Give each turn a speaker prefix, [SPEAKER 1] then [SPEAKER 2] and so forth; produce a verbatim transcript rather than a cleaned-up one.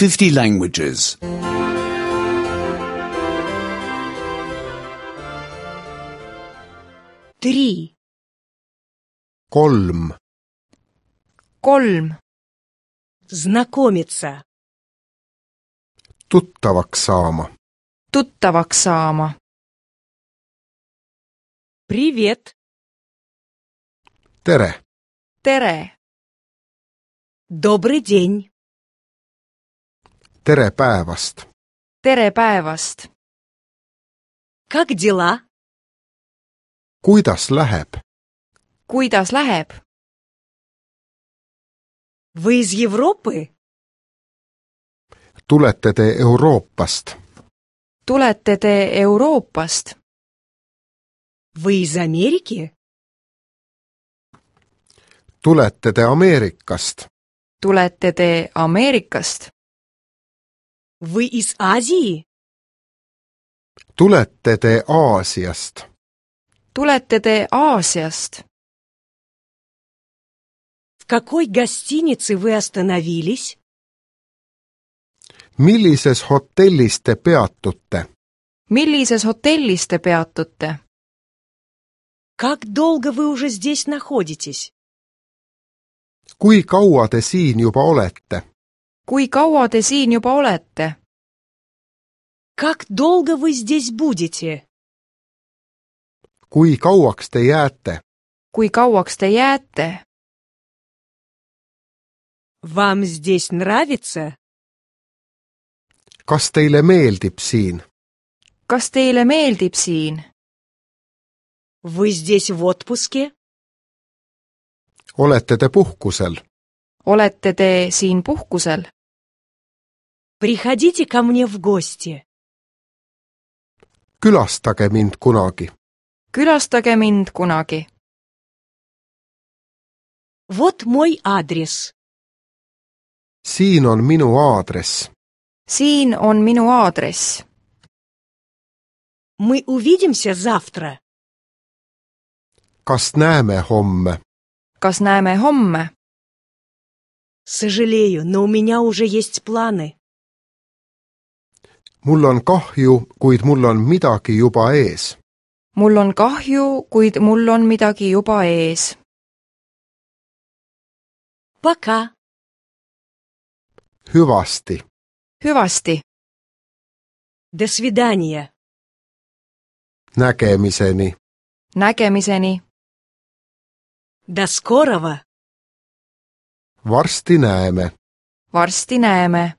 [SPEAKER 1] fifty languages.
[SPEAKER 2] Три.
[SPEAKER 3] kolm,
[SPEAKER 4] kolm,
[SPEAKER 2] Знакомиться.
[SPEAKER 3] tuttavaks saama,
[SPEAKER 4] tuttavaks saama,
[SPEAKER 2] Привет.
[SPEAKER 3] tere,
[SPEAKER 4] tere,
[SPEAKER 2] Добрый день.
[SPEAKER 3] tere päevast,
[SPEAKER 4] tere päevast,
[SPEAKER 2] Как дела?
[SPEAKER 3] kuidas läheb,
[SPEAKER 4] kuidas läheb?
[SPEAKER 2] Вы из Европы?
[SPEAKER 3] tulete te Euroopast,
[SPEAKER 4] Tulete te Euroopast?
[SPEAKER 2] Вы из Америки?
[SPEAKER 3] tulete te Ameerikast,
[SPEAKER 4] Tulete te Ameerikast?
[SPEAKER 2] Вы из Азии?
[SPEAKER 3] tulete te Aasiast,
[SPEAKER 4] Tulete te Aasiast?
[SPEAKER 2] В какой гостинице вы остановились?
[SPEAKER 3] millises hotellis te peatute,
[SPEAKER 4] Millises hotellis te peatute?
[SPEAKER 2] Как долго вы уже здесь находитесь?
[SPEAKER 3] kui kaua te siin juba olete,
[SPEAKER 4] Kui kaua te siin juba olete?
[SPEAKER 2] Как долго вы здесь будете?
[SPEAKER 3] kui kauaks te jääte,
[SPEAKER 4] Kui kauaks te jääte?
[SPEAKER 2] Вам здесь нравится?
[SPEAKER 3] kas teile meeldib siin,
[SPEAKER 4] Kas teile meeldib siin?
[SPEAKER 2] Вы здесь в отпуске?
[SPEAKER 3] olete te puhkusel,
[SPEAKER 4] Olete te siin puhkusel?
[SPEAKER 2] Приходите ко мне в гости.
[SPEAKER 3] külastage mind kunagi,
[SPEAKER 4] Külastage mind kunagi.
[SPEAKER 2] Вот мой адрес.
[SPEAKER 3] siin on minu aadress,
[SPEAKER 4] Siin on minu aadress.
[SPEAKER 2] Мы увидимся завтра.
[SPEAKER 3] kas näeme homme,
[SPEAKER 4] Kas näeme homme?
[SPEAKER 2] Сожалею, но у меня уже есть планы.
[SPEAKER 3] mul on kahju, kuid mul on midagi juba ees,
[SPEAKER 4] Mul on kahju, kuid mul on midagi juba ees.
[SPEAKER 2] Пока.
[SPEAKER 3] hüvasti,
[SPEAKER 4] Hüvasti.
[SPEAKER 2] До свидания.
[SPEAKER 3] nägemiseni,
[SPEAKER 4] Nägemiseni.
[SPEAKER 2] До скорого.
[SPEAKER 3] varsti näeme.
[SPEAKER 4] Varsti näeme.